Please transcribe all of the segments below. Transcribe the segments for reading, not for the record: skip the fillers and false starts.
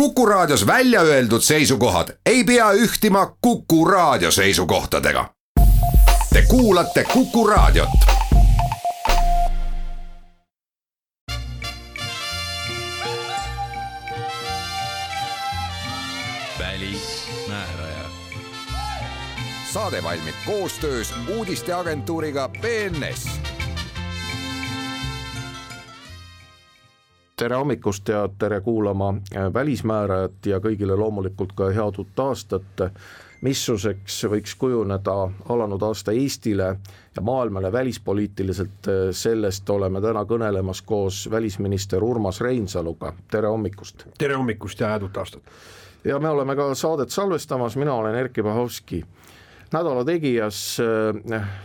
Kuku Raadios välja öeldud seisukohad ei pea ühtima Kuku Raadio seisukohtadega. Te kuulate Kuku Raadiot. Välismääraja. Saade valmib koostöös uudisteagentuuriga BNS. Tere hommikust ja tere kuulama Välismäärajat ja kõigile loomulikult ka head uut aastat. Missuguseks võiks kujuneda alanud aasta Eestile ja maailmale välispoliitiliselt, sellest oleme täna kõnelemas koos välisminister Urmas Reinsaluga. Tere hommikust. Tere hommikust ja head uut aastat. Ja me oleme ka saadet salvestamas, mina olen Erkki Bahovski. Nädala tegijas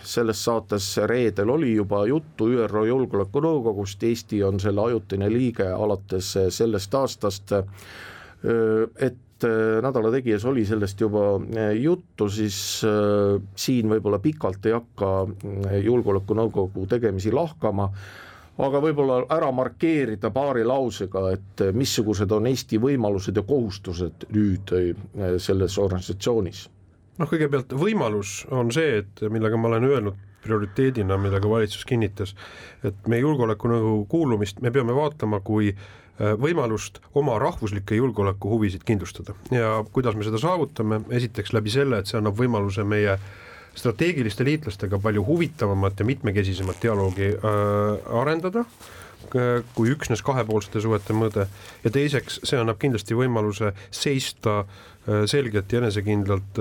selles saates reedel oli juba juttu ÜRO Julgeolekunõukogust, Eesti on selle ajutine liige alates sellest aastast, et nädala tegijas oli sellest juba juttu, siis siin võib-olla pikalt ei hakka Julgeolekunõukogu tegemisi lahkama, aga võib-olla ära markeerida paari lausega, et missugused on Eesti võimalused ja kohustused nüüd selles organisatsioonis. Kõigepealt võimalus on see, et millega ma olen öelnud prioriteedina, millega valitsus kinnitas, et meie julgeolekunõukogu kuulumist me peame vaatama kui võimalust oma rahvuslikke julgeolekuhuvisid kindlustada. Ja kuidas me seda saavutame? Esiteks läbi selle, et see annab võimaluse meie strateegiliste liitlastega palju huvitavamat ja mitmekesisemat dialoogi arendada kui üksnes kahepoolsete suhete mõõde, ja teiseks see annab kindlasti võimaluse seista selgelt ja enesekindlalt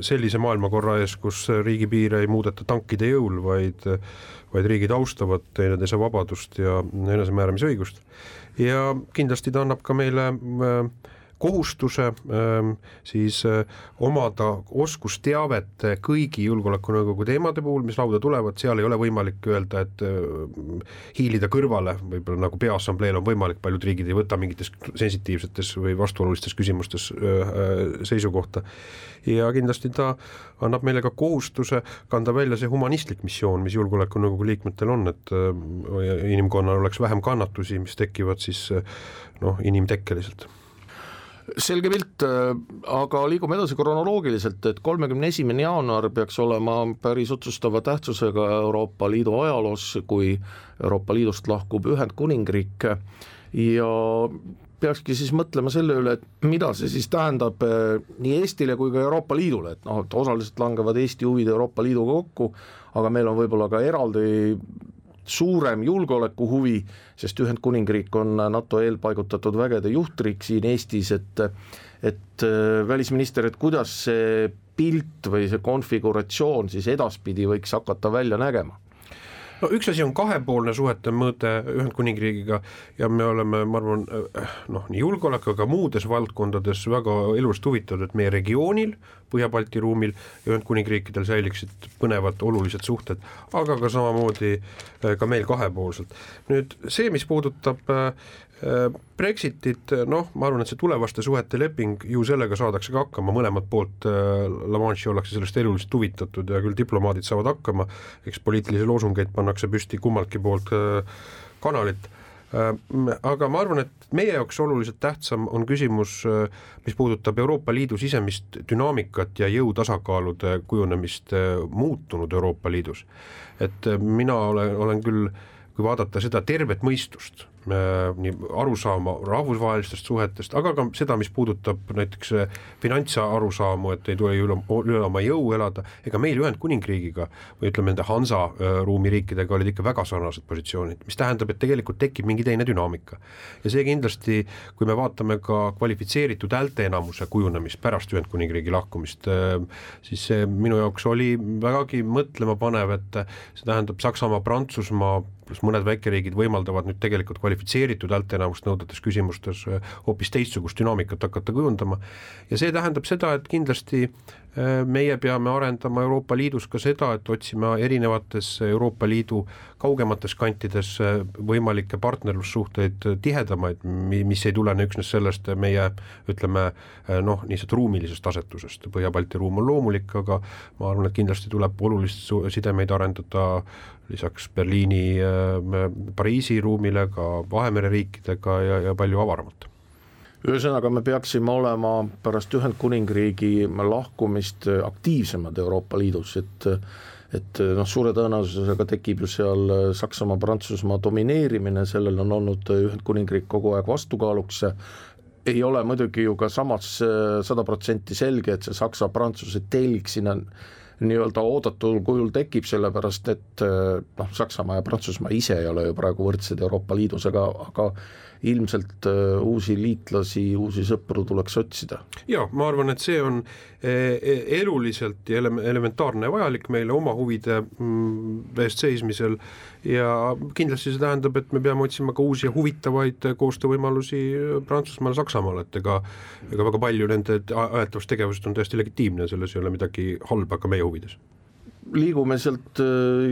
sellise maailmakorra ees, kus riigipiire ei muudeta tankide jõul, vaid riigid austavad teineteise vabadust ja enesemääramisõigust. Ja kindlasti ta annab ka meile kohustuse siis omada oskusteavet kõigi julgeolekunõukogu teemade puhul, mis lauda tulevad, seal ei ole võimalik öelda, et hiilida kõrvale, võib-olla nagu peaassambleel on võimalik, paljud riigid ei võta mingites sensitiivsetes või vastuolulistes küsimustes seisukohta. Ja kindlasti ta annab meile ka kohustuse kanda välja see humanistlik missioon, mis julgeolekunõukogu liikmetel on, et inimkonnal oleks vähem kannatusi, mis tekivad siis inimtekkeliselt. Selge pilt, aga liigume edasi kronoloogiliselt, et 31. jaanuar peaks olema päris otsustava tähtsusega Euroopa Liidu ajaloos, kui Euroopa Liidust lahkub Ühendkuningriik, ja peakski siis mõtlema selle üle, et mida see siis tähendab nii Eestile kui ka Euroopa Liidule, et osaliselt langevad Eesti huvid Euroopa Liiduga kokku, aga meil on võib-olla ka eraldi suurem julgeoleku huvi, sest Ühendkuningriik on NATO eelpaigutatud vägede juhtriik siin Eestis, et välisminister, et kuidas see pilt või see konfiguratsioon siis edaspidi võiks hakata välja nägema? Üks asi on kahepoolne suhete mõõde Ühendkuningriigiga ja me oleme, ma arvan, nii julgeoleku, aga muudes valdkondades väga elust huvitatud, et meie regioonil, Põhja-Balti ruumil ja Ühendkuningriikidel säiliksid põnevad olulised suhted, aga ka samamoodi ka meil kahepoolselt. Nüüd see, mis puudutab Brexitit, ma arvan, et see tulevaste suhete leping, ju sellega saadakse ka hakkama, mõlemad poolt La Manche'i ollakse sellest eluliselt huvitatud ja küll diplomaadid saavad hakkama, eks poliitilisi loosungeid pannakse püsti kummaltki poolt kanalit. Aga ma arvan, et meie jaoks oluliselt tähtsam on küsimus, mis puudutab Euroopa Liidu sisemist dünaamikat ja jõutasakaalude kujunemist muutunud Euroopa Liidus. Et mina olen küll, kui vaadata seda tervet mõistust, nii arusaama rahvusvahelistest suhetest, aga ka seda, mis puudutab näiteks finantsa arusaamu, et ei tule üle oma jõu elada, ega meil Ühendkuningriigiga või ütleme nende Hansa ruumi riikidega olid ikka väga sarnased positsioonid, mis tähendab, et tegelikult tekib mingi teine dünaamika. Ja see kindlasti, kui me vaatame ka kvalifitseeritud häälteenamuse kujunemist pärast Ühendkuningriigi lahkumist, siis see minu jaoks oli vägagi mõtlema panev, et see tähendab Saksamaa, Prantsusmaa, pluss mõned väikeriigid võimaldavad nüüd tegelikult kvalifitseeritud häälteenamust nõudetes küsimustes hoopis teistsugust dünaamikat hakata kujundama. Ja see tähendab seda, et kindlasti meie peame arendama Euroopa Liidus ka seda, et otsima erinevates Euroopa Liidu kaugemates kantides võimalikke partnerlussuhteid tihedamaid, mis ei tulene üksnes sellest meie, ütleme, niisugust ruumilisest asetusest. Põhja-Balti ruum on loomulik, aga ma arvan, et kindlasti tuleb olulist sidemeid arendada lisaks Berliini, Pariisi ruumile ka Vahemere riikidega ja palju avaramalt. Ühesõnaga me peaksime olema pärast Ühendkuningriigi lahkumist aktiivsemad Euroopa Liidus, et suure tõenäosusega tekib ju seal Saksamaa, Prantsusmaa domineerimine, sellel on olnud Ühendkuningriik kogu aeg vastukaaluks. Ei ole muidugi ju ka samas 100% selge, et see Saksa-Prantsuse telg sinna nii-öelda oodatul kujul tekib, sellepärast et Saksamaa ja Prantsusmaa ise ei ole ju praegu võrdsed Euroopa Liidus, aga ilmselt uusi liitlasi, uusi sõpru tuleks otsida. Ja, ma arvan, et see on eluliselt ja elementaarne vajalik meile oma huvide eest seismisel ja kindlasti see tähendab, et me peame otsima ka uusi ja huvitavaid koostöövõimalusi Prantsusmaal, Saksamaal, et ega väga palju nende ajatavast tegevust on täiesti legitiimne, selles ei ole midagi halba ka meie huvides. Liigume sealt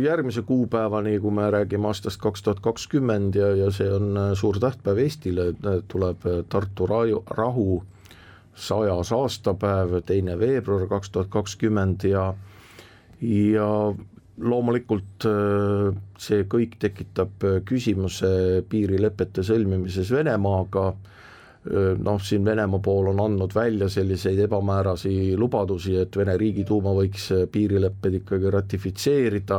järgmise kuupäevani, kui me räägime aastast 2020 ja see on suur tähtpäev Eestile, tuleb Tartu rahu 100. aastapäev, 2. veebruar 2020 ja loomulikult see kõik tekitab küsimuse piirilepete sõlmimises Venemaaga. Siin Venemaa pool on andnud välja selliseid ebamäärasi lubadusi, et Vene riigiduuma võiks piirilepped ikkagi ratifitseerida.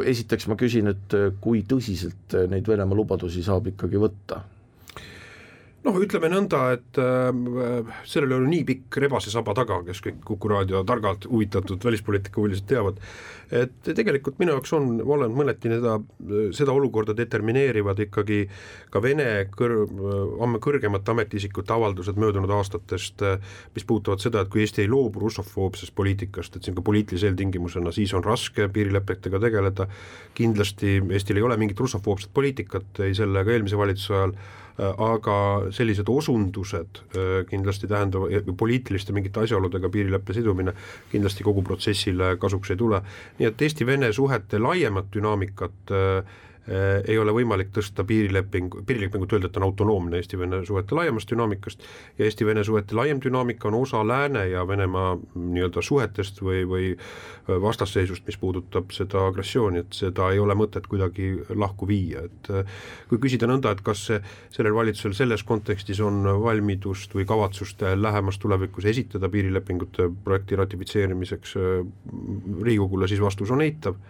Esiteks ma küsin, et kui tõsiselt neid Venemaa lubadusi saab ikkagi võtta? Ütleme nõnda, et sellel oli nii pikk rebase saba taga, kes kõik Kuku Raadio targalt huvitatud välispoliitika huvilised teavad, et tegelikult minu jaoks on mõneti seda olukorda determineerivad ikkagi ka Vene kõrgemate ametiisikute avaldused möödunud aastatest, mis puutuvad seda, et kui Eesti ei loobu russofoobsest poliitikast, et siin ka poliitilise eeltingimusena, siis on raske piirilepetega tegeleda. Kindlasti Eestil ei ole mingit russofoobset poliitikat, ei selle ega eelmise valitsuse ajal, aga sellised osundused kindlasti tähendavad poliitiliste mingite asjaoludega piirileppe sidumine kindlasti kogu protsessile kasuks ei tule. Nii et Eesti-Vene suhete laiemat dünaamikat ei ole võimalik tõsta piirilepingut öelda, et on autonoomne Eesti-Vene suhete laiemast dünaamikast ja Eesti-Vene suhete laiem dünaamika on osa Lääne ja Venemaa nii-öelda suhetest või vastasseisust, mis puudutab seda agressiooni, et seda ei ole mõtet kuidagi lahku viia. Et kui küsida nõnda, et kas sellel valitsusel selles kontekstis on valmidust või kavatsust lähemas tulevikus esitada piirilepingute projekti ratifitseerimiseks Riigikogule, siis vastus on eitav.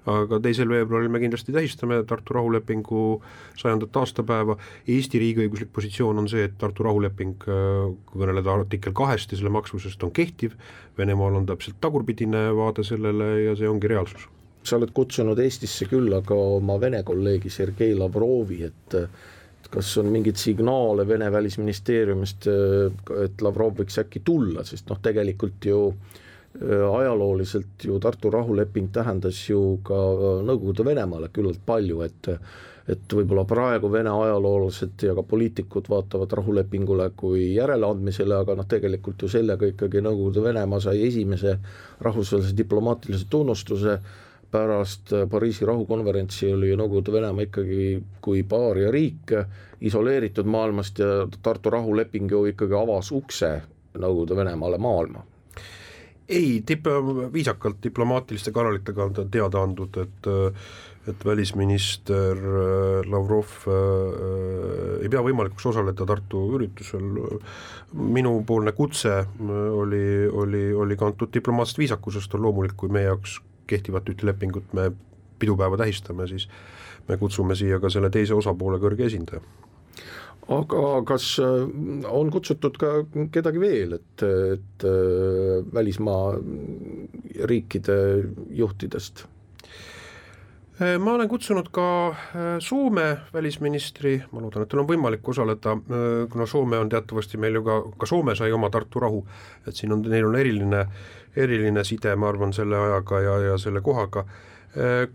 Aga 2. veebruaril me kindlasti tähistame Tartu rahulepingu 100. aastapäeva. Eesti riigiõiguslik positsioon on see, et Tartu rahuleping, kui kõneleda artikkel 2 ja selle maksusest, on kehtiv. Venemaal on täpselt tagurpidine vaade sellele ja see ongi reaalsus. Sa oled kutsunud Eestisse küll, aga oma Vene kolleegi Sergei Lavrovi, et kas on mingid signaale Vene välisministeeriumist, et Lavrov võiks äkki tulla, sest tegelikult ju ajalooliselt ju Tartu rahuleping tähendas ju ka Nõukogude Venemaale küllalt palju, et võib-olla praegu Vene ajaloolased ja ka poliitikud vaatavad rahulepingule kui järeleandmisele, aga tegelikult ju sellega ikkagi Nõukogude Venemaa sai esimese rahvusvahelise diplomaatilise tunnustuse. Pärast Pariisi rahukonverentsi oli Nõukogude Venemaa ikkagi kui paaria riik isoleeritud maailmast ja Tartu rahuleping ju ikkagi avas ukse Nõukogude Venemaale maailma. Ei, viisakalt diplomaatiliste kanalitega on teada andnud, et välisminister Lavrov ei pea võimalikuks osaleda Tartu üritusel. Minupoolne kutse oli kantud diplomaatsest viisakusest, on loomulik, kui meie jaoks kehtivat lepingut me pidupäeva tähistame, siis me kutsume siia ka selle teise osapoole kõrge esindaja. Aga kas on kutsutud ka kedagi veel, et välismaa riikide juhtidest? Ma olen kutsunud ka Soome välisministri, ma loodan, et tal on võimalik osaleda, kuna Soome on teatavasti meil ju ka Soome sai oma Tartu rahu, et siin neil on eriline side, ma arvan, selle ajaga ja selle kohaga.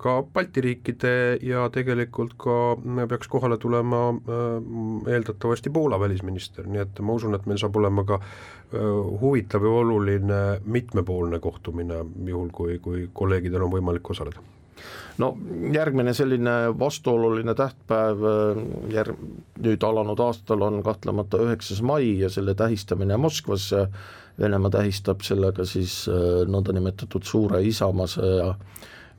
Ka Balti riikide ja tegelikult ka peaks kohale tulema eeldatavasti Poola välisminister, nii et ma usun, et meil saab olema ka huvitav ja oluline mitmepoolne kohtumine, juhul kui kolleegidel on võimalik osaleda. Järgmine selline vastuoluline tähtpäev nüüd alanud aastal on kahtlemata 9. mai ja selle tähistamine Moskvas. Venemaa tähistab sellega siis nõndanimetatud suure Isamaa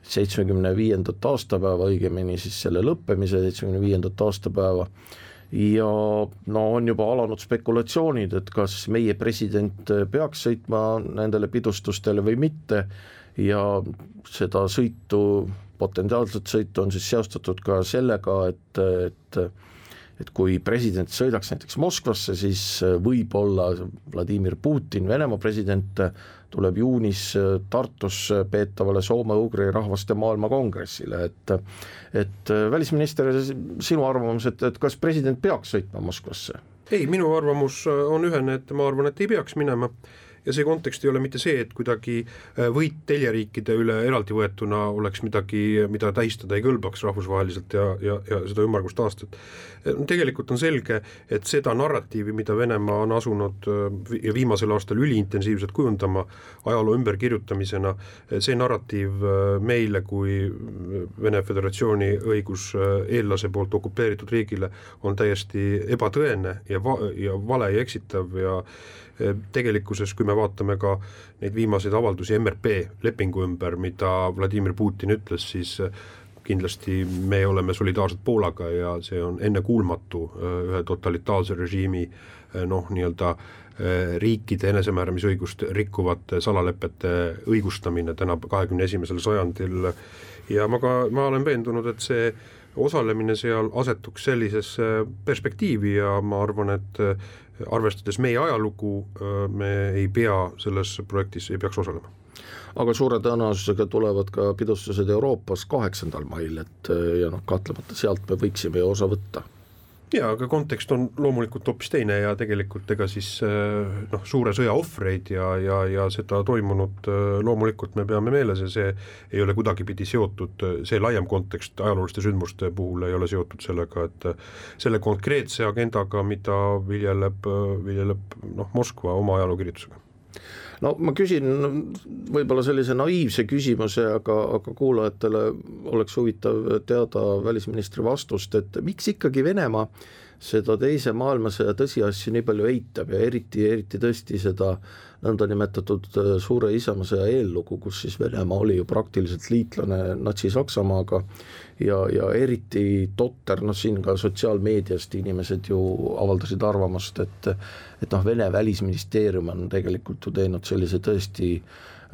75. aastapäeva, õigemini siis selle lõppemise 75. aastapäeva ja no on juba alanud spekulatsioonid, et kas meie president peaks sõitma nendele pidustustele või mitte ja seda sõitu, potentsiaalset sõitu on siis seostatud ka sellega, et kui president sõidaks näiteks Moskvasse, siis võib-olla Vladimir Putin, Venemaa president, tuleb juunis Tartus peetavale soome-ugri rahvaste maailmakongressile, et välisminister, sinu arvamus, et kas president peaks sõitma Moskvasse? Ei, minu arvamus on ühene, et ma arvan, et ei peaks minema. Ja see kontekst ei ole mitte see, et kuidagi võit teljeriikide üle eraldi võetuna oleks midagi, mida tähistada ei kõlbaks rahvusvaheliselt ja seda ümmargust aastat. Tegelikult on selge, et seda narratiivi, mida Venemaa on asunud ja viimasel aastal üliintensiivselt kujundama ajaloo ümberkirjutamisena, see narratiiv meile kui Vene Föderatsiooni õiguseellase poolt okupeeritud riigile on täiesti ebatõene ja vale ja eksitav ja tegelikkuses, kui me vaatame ka neid viimaseid avaldusi MRP lepingu ümber, mida Vladimir Putin ütles, siis kindlasti me oleme solidaarsed Poolaga ja see on ennekuulmatu ühe totalitaarse režiimi nii-öelda riikide enesemääramisõigust rikkuvate salalepete õigustamine täna 21. sajandil ja ma olen veendunud, et see osalemine seal asetuks sellisesse perspektiivi ja ma arvan, et arvestades meie ajalugu, me ei pea selles projektis, ei peaks osalema. Aga suure tõenäosusega tulevad ka pidustused Euroopas 8. mail, ja kahtlemata sealt me võiksime ju osa võtta. Ja, aga kontekst on loomulikult hoopis teine ja tegelikult ega siis suure sõja ohvreid ja seda toimunud loomulikult me peame meeles ja see ei ole kuidagipidi seotud, see laiem kontekst ajalooliste sündmuste puhul ei ole seotud sellega, et selle konkreetse agendaga, mida viljeleb Moskva oma ajalookirjutusega. No ma küsin võib-olla sellise naiivse küsimuse, aga kuulajatele oleks huvitav teada välisministri vastust, et miks ikkagi Venemaa seda teise maailmasõja tõsiasju nii palju eitab ja eriti tõesti seda nõndanimetatud suure isamaasõja eellugu, kus siis Venemaa oli ju praktiliselt liitlane Natsi-Saksamaaga ja eriti totter, siin ka sotsiaalmeediast inimesed ju avaldasid arvamust, et Vene välisministeerium on tegelikult ju teinud sellise tõesti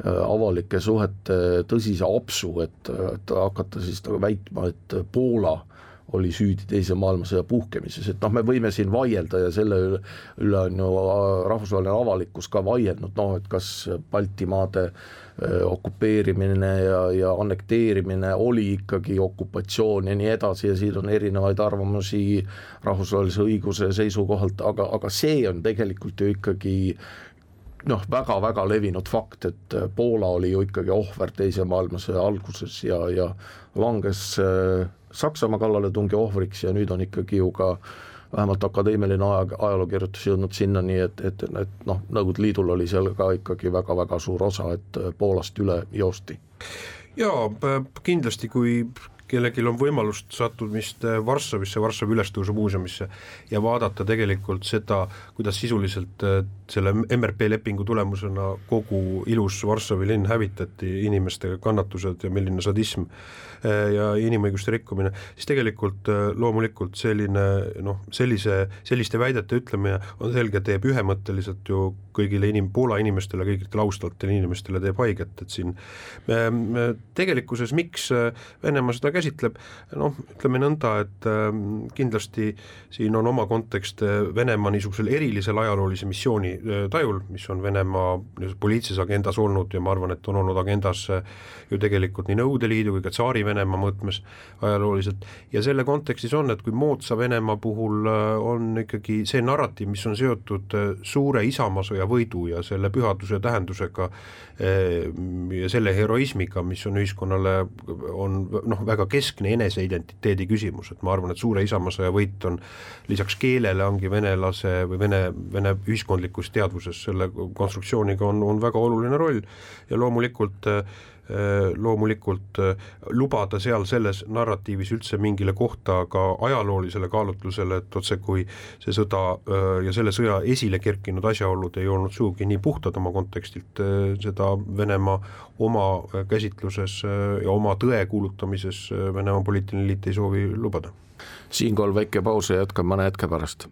avalike suhete tõsise apsu, et hakata siis väitma, et Poola oli süüdi teise maailmasõja puhkemises, et me võime siin vaielda ja selle üle on ju rahvusvaheline avalikkus ka vaielnud, et kas Baltimaade okupeerimine ja annekteerimine oli ikkagi okupatsioon ja nii edasi ja siin on erinevaid arvamusi rahvusvahelise õiguse seisukohalt, aga see on tegelikult ju ikkagi väga-väga levinud fakt, et Poola oli ju ikkagi ohver teise maailmasõja alguses ja langes Saksamaa kallaletungi ohvriks ja nüüd on ikkagi ju ka vähemalt akadeemiline ajalookirjutus jõudnud sinnani, et Nõukogude Liidul oli seal ka ikkagi väga-väga suur osa, et Poolast üle joosti. Jaa, kindlasti kui kellelgi on võimalust sattumist Varssavisse, Varssavi ülestõusu muuseumisse ja vaadata tegelikult seda, kuidas sisuliselt selle MRP lepingu tulemusena kogu ilus Varssavi linn hävitati, inimeste kannatused ja milline sadism ja inimõiguste rikkumine, siis tegelikult loomulikult selliste väidete ütlemine on selge, teeb ühemõtteliselt ju kõigile Poola inimestele, kõigile austatele inimestele teeb haiget, et siin tegelikkuses miks Venemaa seda käsitleb, ütleme nõnda, et kindlasti siin on oma kontekst Venemaa niisugusel erilisel ajaloolise missiooni tajul, mis on Venemaa poliitilises agendas olnud ja ma arvan, et on olnud agendas ju tegelikult nii Nõukogude Liidu kui ka tsaari Venemaa mõõtmes ajalooliselt ja selle kontekstis on, et kui moodsa Venemaa puhul on ikkagi see narratiiv, mis on seotud suure isamaasõja võidu ja selle pühaduse tähendusega ja selle heroismiga, mis on ühiskonnale on väga keskne eneseidentiteedi küsimus, et ma arvan, et suure isamaasõja võit on lisaks keelele ongi venelase või vene ühiskondlikus teadvuses selle konstruktsiooniga on väga oluline roll ja loomulikult lubada seal selles narratiivis üldse mingile kohta ka ajaloolisele kaalutlusele, et otse kui see sõda ja selle sõja esile kerkinud asjaolud ei olnud suugi nii puhtad oma kontekstilt, seda Venemaa oma käsitluses ja oma tõe kuulutamises Venemaa poliitiline liit ei soovi lubada. Siinkohal väike paus ja jätkame mõne hetke pärast.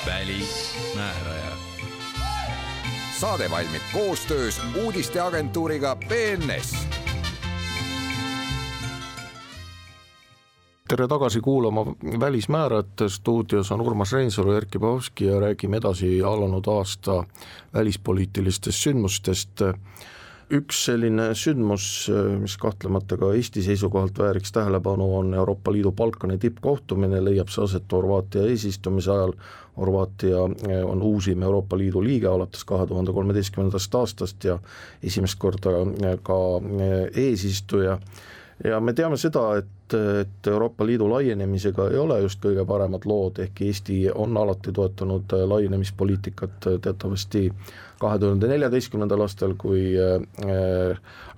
Välismääraja. Saade valmib koostöös uudisteagentuuriga BNS. Tere tagasi kuulama Välismäärajat, stuudios on Urmas Reinsalu, Erkki Pahovski ja räägime edasi alanud aasta välispoliitilistest sündmustest. Üks selline sündmus, mis kahtlemata ka Eesti seisukohalt vääriks tähelepanu, on Euroopa Liidu Balkani tippkohtumine, leiab see aset Horvaatia eesistumise ajal. Horvaatia on uusim Euroopa Liidu liige alates 2013. aastast ja esimest korda ka eesistuja. Ja me teame seda, et Euroopa Liidu laienemisega ei ole just kõige paremad lood, ehk Eesti on alati toetanud laienemispoliitikat teatavasti 2014. aastal, kui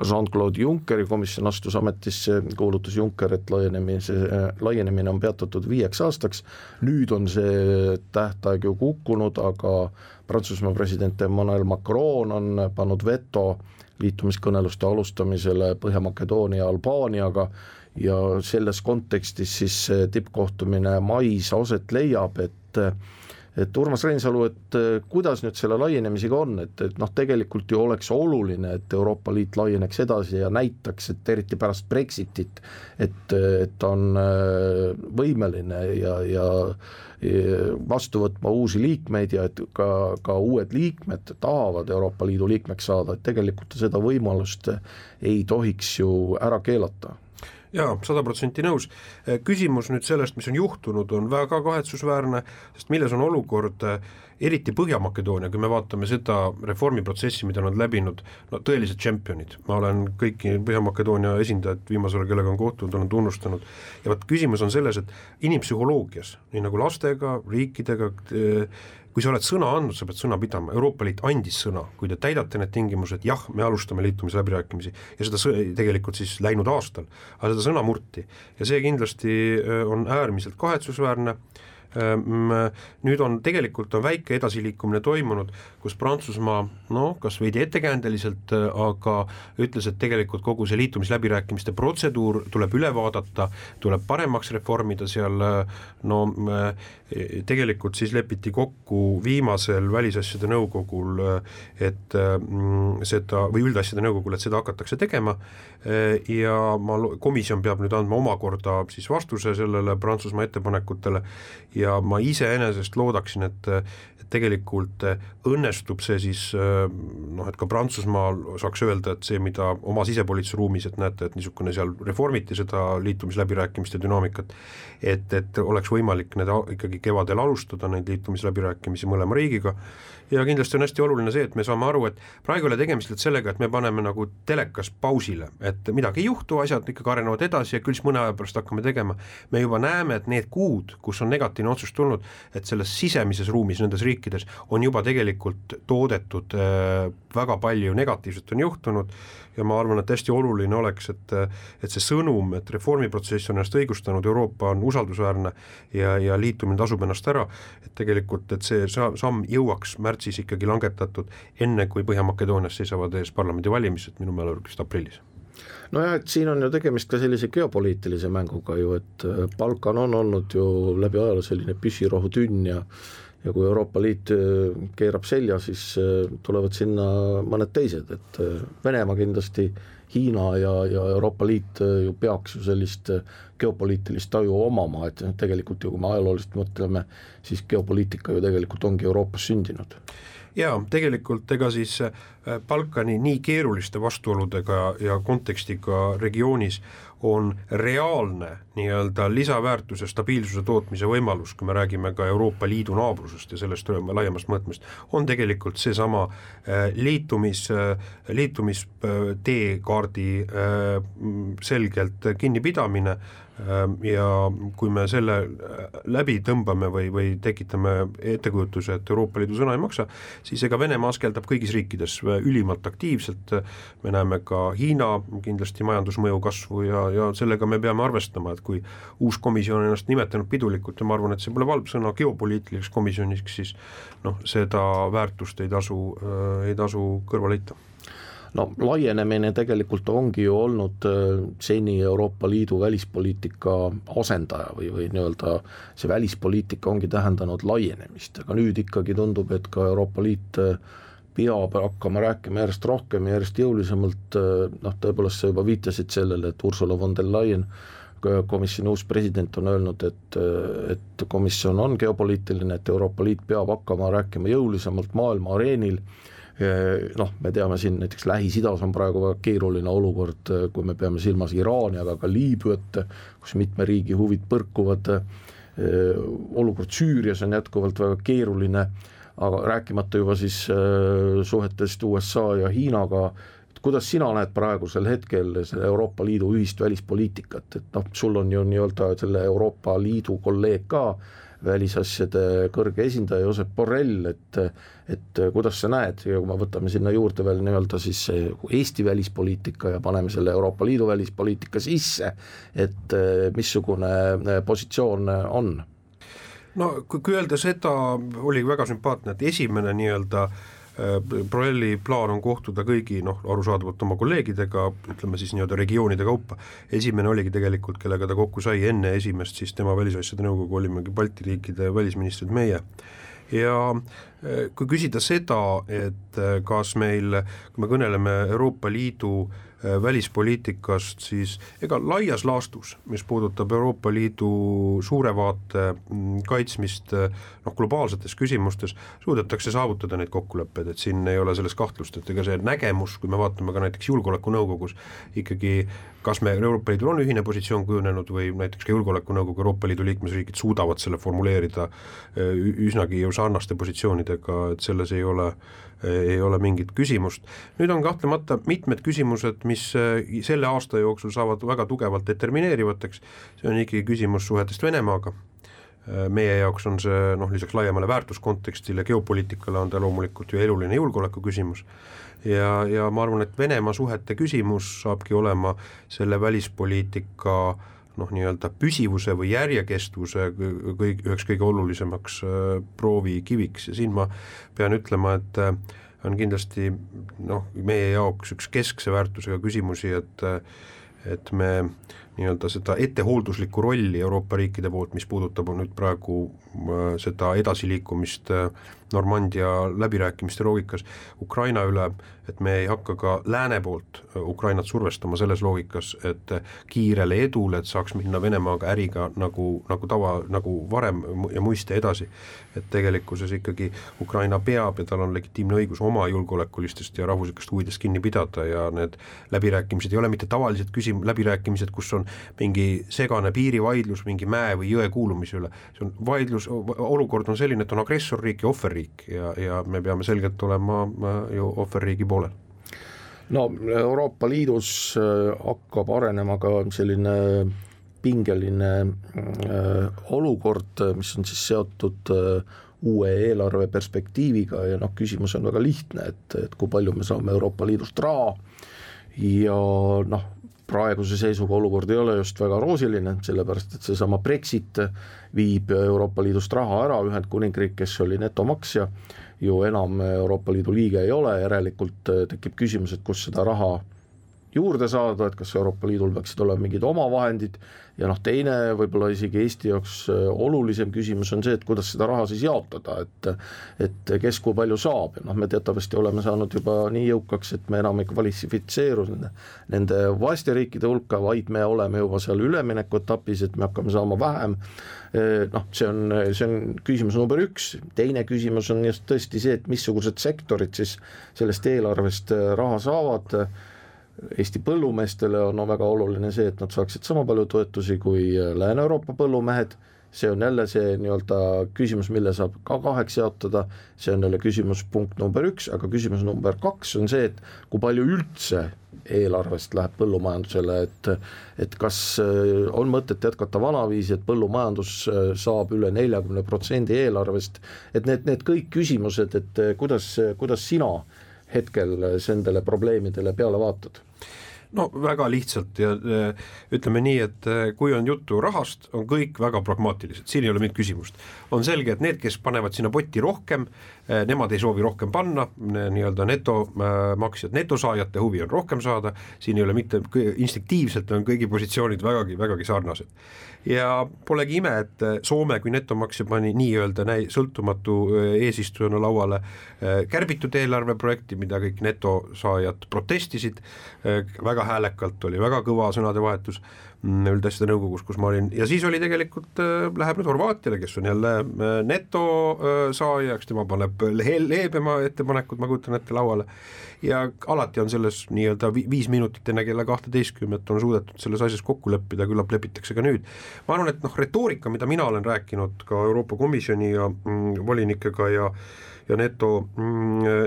Jean-Claude Junckeri komisjon astus ametisse, kuulutas Juncker, et laienemine on peatatud 5 aastaks. Nüüd on see tähtaeg ju kukkunud, aga Prantsusmaa president Emmanuel Macron on pannud veto liitumiskõneluste alustamisele Põhja-Makedoonia ja Albaaniaga ja selles kontekstis siis tippkohtumine mais aset leiab, et Urmas Reinsalu, et kuidas nüüd selle laienemisega on, et tegelikult ju oleks oluline, et Euroopa Liit laieneks edasi ja näitaks, et eriti pärast Brexitit, et on võimeline ja vastu võtma uusi liikmeid ja et ka uued liikmed tahavad Euroopa Liidu liikmeks saada, et tegelikult seda võimalust ei tohiks ju ära keelata. Jaa, 100% nõus. Küsimus nüüd sellest, mis on juhtunud, on väga kahetsusväärne, sest milles on olukord, eriti Põhja-Makedoonia, kui me vaatame seda reformiprotsessi, mida nad läbinud, tõelised tšempionid. Ma olen kõiki Põhja-Makedoonia esindajad viimasel, kellega on kohtunud, olen tunnustanud. Ja küsimus on selles, et inimpsühholoogias, nii nagu lastega, riikidega, kui sa oled sõna andnud, sa pead sõna pidama. Euroopa Liit andis sõna, kui te täidate need tingimused, jah, me alustame liitumisläbirääkimisi ja seda tegelikult siis läinud aastal, aga seda sõna murti ja see kindlasti on äärmiselt kahetsusväärne. Nüüd on tegelikult väike edasiliikumine toimunud, kus Prantsusmaa, kas veidi ettekäändeliselt, aga ütles, et tegelikult kogu see liitumisläbirääkimiste protseduur tuleb üle vaadata, tuleb paremaks reformida seal, tegelikult siis lepiti kokku viimasel välisasjade nõukogul, et seda, või üldasjade nõukogul, et seda hakatakse tegema ja komisjon peab nüüd andma omakorda siis vastuse sellele Prantsusmaa ettepanekutele ja ma iseenesest loodaksin, et tegelikult õnnestub see siis, et ka Prantsusmaal saaks öelda, et see, mida oma sisepoliitilise ruumis, et näete, et niisugune seal reformiti seda liitumisläbirääkimiste dünaamikat, et oleks võimalik need ikkagi kevadel alustada, neid liitumisläbirääkimisi mõlema riigiga ja kindlasti on hästi oluline see, et me saame aru, et praegu ei ole tegemist sellega, et me paneme nagu telekas pausile, et midagi ei juhtu, asjad ikkagi arenevad edasi ja küll mõne aja pärast hakkame tegema. Me juba näeme, et need kuud, kus on negatiivne otsus tulnud, et selles sisemises ruumis nendes riikides on juba tegelikult toodetud väga palju negatiivset on juhtunud ja ma arvan, et hästi oluline oleks, et see sõnum, et reformiprotsess on ennast õigustanud, Euroopa on usaldusväärne ja liitumine tasub ennast ära, et tegelikult, et see samm jõuaks märtsis ikkagi langetatud enne, kui Põhja-Makedoonias seisavad ees parlamendivalimised minu mälelikust aprillis. Nojah, et siin on ju tegemist ka sellise geopoliitilise mänguga ju, et Balkan on olnud ju läbi ajaloo selline püssirohutünn ja kui Euroopa Liit keerab selja, siis tulevad sinna mõned teised, et Venemaa kindlasti, Hiina ja Euroopa Liit ju peaks ju sellist geopoliitilist taju omama, et tegelikult ju kui me ajalooliselt mõtleme, siis geopoliitika ju tegelikult ongi Euroopas sündinud. Jaa, tegelikult ega siis Balkani nii keeruliste vastuoludega ja kontekstiga regioonis on reaalne nii-öelda lisaväärtuse stabiilsuse tootmise võimalus, kui me räägime ka Euroopa Liidu naabrusest ja sellest laiemast mõõtmest, on tegelikult seesama liitumisteekaardi selgelt kinnipidamine ja kui me selle läbi tõmbame või tekitame ettekujutuse, et Euroopa Liidu sõna ei maksa, siis ega Venemaa askeldab kõigis riikides ülimalt aktiivselt, me näeme ka Hiina kindlasti majandusmõju kasvu ja sellega me peame arvestama, et kui uus komisjon on ennast nimetanud pidulikult ja ma arvan, et see pole valb sõna geopoliitiliseks komisjoniks, siis seda väärtust ei tasu kõrvale heita. no laienemine tegelikult ongi ju olnud seni Euroopa Liidu välispoliitika asendaja või nii-öelda see välispoliitika ongi tähendanud laienemist, aga nüüd ikkagi tundub, et ka Euroopa Liit peab hakkama rääkima järjest rohkem ja järjest jõulisemalt, tõepoolest sa juba viitasid sellele, et Ursula von der Leyen, komisjoni uus president on öelnud, et komisjon on geopoliitiline, et Euroopa Liit peab hakkama rääkima jõulisemalt maailma areenil. Me teame siin näiteks Lähis-Idas on praegu väga keeruline olukord, kui me peame silmas Iraani, aga ka Liibüat, kus mitme riigi huvid põrkuvad, olukord Süürias on jätkuvalt väga keeruline, aga rääkimata juba siis suhetest USA ja Hiinaga. Kuidas sina näed praegusel hetkel selle Euroopa Liidu ühist välispoliitikat, et sul on ju nii-öelda selle Euroopa Liidu kolleeg ka, välisasjade kõrge esindaja Josep Borrell, et kuidas sa näed, ja kui me võtame sinna juurde veel nii-öelda siis Eesti välispoliitika ja paneme selle Euroopa Liidu välispoliitika sisse, et missugune positsioon on? No kui öelda seda, oli väga sümpaatne, et esimene nii-öelda Borrelli plaan on kohtuda kõigi arusaadavalt oma kolleegidega, ütleme siis nii-öelda regioonide kaupa. Esimene oligi tegelikult, kellega ta kokku sai enne esimest, siis tema välisasjade nõukogu olimegi Balti riikide välisministrid meie. Ja kui küsida seda, et kas meil, kui me kõneleme Euroopa Liidu välispoliitikast, siis ega laias laastus, mis puudutab Euroopa Liidu suure vaate kaitsmist globaalsetes küsimustes, suudetakse saavutada neid kokkuleppeid, et siin ei ole selles kahtlust, et ega see nägemus, kui me vaatame ka näiteks julgeolekunõukogus, ikkagi kas me Euroopa Liidul on ühine positsioon kujunenud või näiteks ka julgeolekunõukogu Euroopa Liidu liikmesriigid suudavad selle formuleerida üsnagi sarnaste positsioonidega, et selles ei ole mingit küsimust. Nüüd on kahtlemata mitmed küsimused, mis selle aasta jooksul saavad väga tugevalt determineerivateks. See on ikkagi küsimus suhetest Venemaaga. Meie jaoks on see lisaks laiemale väärtuskontekstile, geopoliitikale on ta loomulikult ju eluline julgeoleku küsimus. Ja ma arvan, et Venemaa suhete küsimus saabki olema selle välispoliitika nii-öelda püsivuse või järjekestvuse üheks kõige olulisemaks proovikiviks. Ja siin ma pean ütlema, et on kindlasti meie jaoks üks keskse väärtusega küsimusi, et me nii-öelda seda ettehoolduslikku rolli Euroopa riikide poolt, mis puudutab nüüd praegu seda edasiliikumist Normandia läbirääkimiste loogikas Ukraina üle, et me ei hakka ka lääne poolt Ukrainat survestama selles loogikas, et kiirele edule, et saaks minna Venemaaga äriga nagu varem ja muiste edasi. Et tegelikkuses ikkagi Ukraina peab ja tal on legitiimne õigus oma julgeolekulistest ja rahvuslikest huvidest kinni pidada ja need läbirääkimised ei ole mitte tavalised läbirääkimised, kus on mingi segane piirivaidlus mingi mäe või jõe kuulumise üle. See on vaidlus, olukord on selline, et on agressorriik ja ohverriik ja me peame selgelt olema ju ohverriigi poolel. No Euroopa Liidus hakkab arenema ka selline pingeline olukord, mis on siis seotud uue eelarve perspektiiviga ja küsimus on väga lihtne, et kui palju me saame Euroopa Liidust raha ja praeguse seisuga olukord ei ole just väga roosiline, sellepärast et seesama Brexit viib Euroopa Liidust raha ära, Ühendkuningriik, kes oli netomaksja, ju enam Euroopa Liidu liige ei ole, järelikult tekib küsimus, et kus seda raha juurde saada, et kas Euroopa Liidul peaksid olema mingid omavahendid ja teine võib-olla isegi Eesti jaoks olulisem küsimus on see, et kuidas seda raha siis jaotada, et kes kui palju saab ja me teatavasti oleme saanud juba nii jõukaks, et me enam ei kvalifitseeru nende vaeste riikide hulka, vaid me oleme juba seal ülemineku etapis, et me hakkame saama vähem. See on küsimus number 1. Teine küsimus on just tõesti see, et missugused sektorid siis sellest eelarvest raha saavad. Eesti põllumeestele on väga oluline see, et nad saaksid sama palju toetusi kui Lääne-Euroopa põllumehed. See on jälle see nii-öelda küsimus, mille saab ka 2 jaotada. See on jälle küsimus punkt number 1, aga küsimus number 2 on see, et kui palju üldse eelarvest läheb põllumajandusele, et kas on mõtet jätkata vanaviisi, et põllumajandus saab üle 40% eelarvest, et need kõik küsimused, et kuidas sina hetkel nendele probleemidele peale vaatad? No väga lihtsalt ja ütleme nii, et kui on juttu rahast, on kõik väga pragmaatilised, siin ei ole mingit küsimust. On selge, et need, kes panevad sinna potti rohkem, nemad ei soovi rohkem panna, nii-öelda netomaksjad, netosaajate huvi on rohkem saada, siin ei ole mitte, instinktiivselt on kõigi positsioonid vägagi sarnased. Ja polegi ime, et Soome kui netomaksja pani nii-öelda sõltumatu eesistujana lauale kärbitud eelarveprojekti, mida kõik netosaajad protestisid, väga häälekalt oli, väga kõva sõnade vahetus üldasjade nõukogus, kus ma olin, ja siis oli tegelikult, läheb nüüd Horvaatiale, kes on jälle netosaajaks, tema paneb leebema ettepanekud, ma kujutan ette lauale, ja alati on selles nii-öelda 5 minutit enne kella 12 on suudetud selles asjas kokku leppida, küllap lepitakse ka nüüd. Ma arvan, et retoorika, mida mina olen rääkinud ka Euroopa Komisjoni ja volinikega ja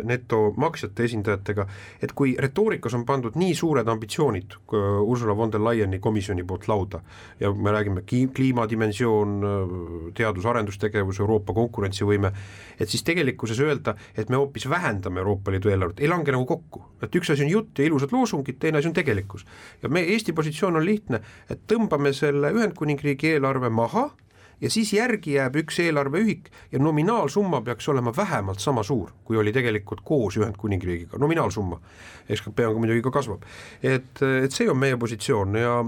netomaksjate esindajatega, et kui retoorikas on pandud nii suured ambitsioonid Ursula von der Leyeni komisjoni poolt lauda ja me räägime kliimadimensioon, teadus-arendustegevus, Euroopa konkurentsivõime, et siis tegelikkuses öelda, et me hoopis vähendame Euroopa Liidu eelarvet, ei lange nagu kokku. Et üks asi on jutt ja ilusad loosungid, teine asi on tegelikkus. Ja Eesti positsioon on lihtne, et tõmbame selle Ühendkuningriigi eelarve maha, ja siis järgi jääb üks eelarveühik ja nominaalsumma peaks olema vähemalt sama suur, kui oli tegelikult koos Ühendkuningriigiga, nominaalsumma. SKP on muidugi ka kasvab. Et see on meie positsioon ja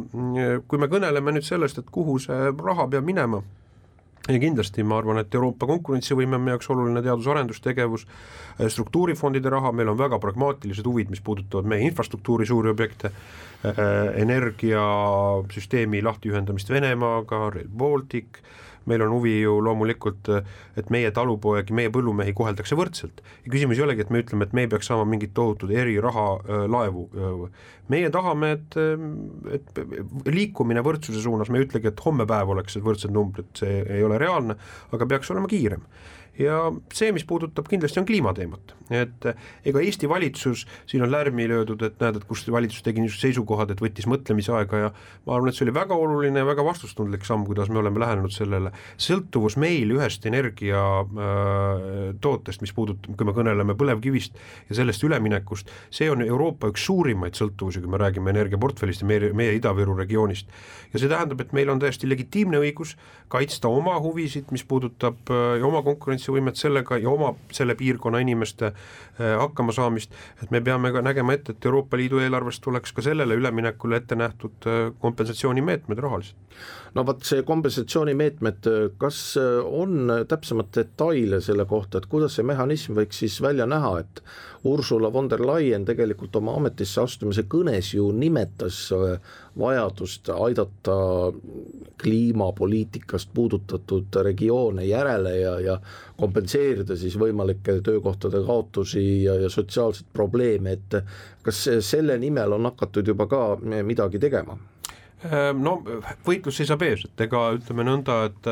kui me kõneleme nüüd sellest, et kuhu see raha peab minema, ja kindlasti ma arvan, et Euroopa konkurentsivõime on meie jaoks oluline teadus-arendustegevus, struktuurifondide raha, meil on väga pragmaatilised huvid, mis puudutavad meie infrastruktuuri suuri objekte, energiasüsteemi lahtiühendamist Venemaaga, Rail Baltic, meil on huvi ju loomulikult, et meie talupoegi, meie põllumehi koheldakse võrdselt. Ja küsimus ei olegi, et me ütleme, et me ei peaks saama mingit tohutud eriraha laevu. Meie tahame, et liikumine võrdsuse suunas, me ei ütlegi, et homme päev oleks võrdsed numbrid, see ei ole reaalne, aga peaks olema kiirem. Ja see, mis puudutab kindlasti on kliimateemat, et ega Eesti valitsus, siin on lärmi löödud, et näed, et kus valitsus tegi niisugused seisukohad, et võttis mõtlemisaega ja ma arvan, et see oli väga oluline ja väga vastustundlik samm, kuidas me oleme lähenenud sellele. Sõltuvus meil ühest energia tootest, mis puudutab, kui me kõneleme põlevkivist ja sellest üleminekust, see on Euroopa üks suurimaid sõltuvusi, kui me räägime energiaportfellist ja meie Ida-Viru regioonist. Ja see tähendab, et meil on täiesti legitiimne õigus kaitsta oma huvisid, mis puudutab ja oma konkurentsivõimet sellega ja oma selle piirkonna inimeste hakkama saamist, et me peame ka nägema ette, et Euroopa Liidu eelarvest tuleks ka sellele üleminekule ette nähtud kompensatsioonimeetmed rahaliselt. No vaat see kompensatsioonimeetmed, kas on täpsemad detaile selle kohta, et kuidas see mehhanism võiks siis välja näha, et Ursula von der Leyen tegelikult oma ametisse astumise kõnes ju nimetas vajadust aidata kliimapoliitikast puudutatud regioone järele ja kompenseerida siis võimalikke töökohtade kaotusi ja sotsiaalseid probleeme, et kas selle nimel on hakatud juba ka midagi tegema? No võitlus seisab ees, et ega ütleme nõnda, et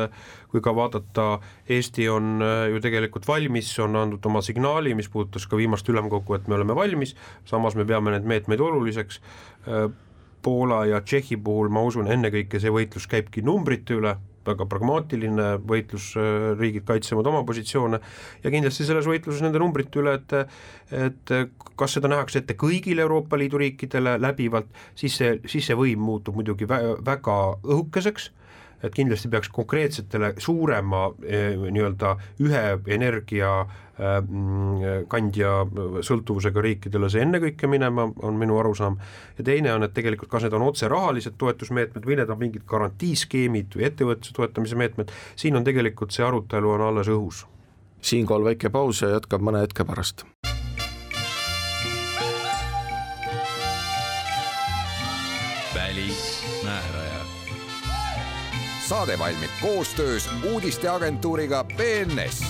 kui ka vaadata, Eesti on ju tegelikult valmis, on andnud oma signaali, mis puudutas ka viimast ülemkogu, et me oleme valmis, samas me peame need meetmeid oluliseks. Poola ja Tšehhi puhul ma usun, ennekõike see võitlus käibki numbrite üle, väga pragmaatiline võitlus, riigid kaitsevad oma positsioone ja kindlasti selles võitluses nende numbrite üle, et kas seda nähakse ette kõigile Euroopa Liidu riikidele läbivalt, siis see võim muutub muidugi väga õhukeseks, et kindlasti peaks konkreetsetele suurema nii-öelda ühe energia kandja sõltuvusega riikidele see ennekõike minema, on minu arusaam. Ja teine on, et tegelikult kas need on otse rahalised toetusmeetmed või need on mingid garantiiskeemid või ettevõtluse toetamise meetmed, siin on tegelikult see arutelu on alles õhus. Siinkohal väike paus ja jätkab mõne hetke pärast. Välismääraja. Saade valmib koostöös uudisteagentuuriga BNS.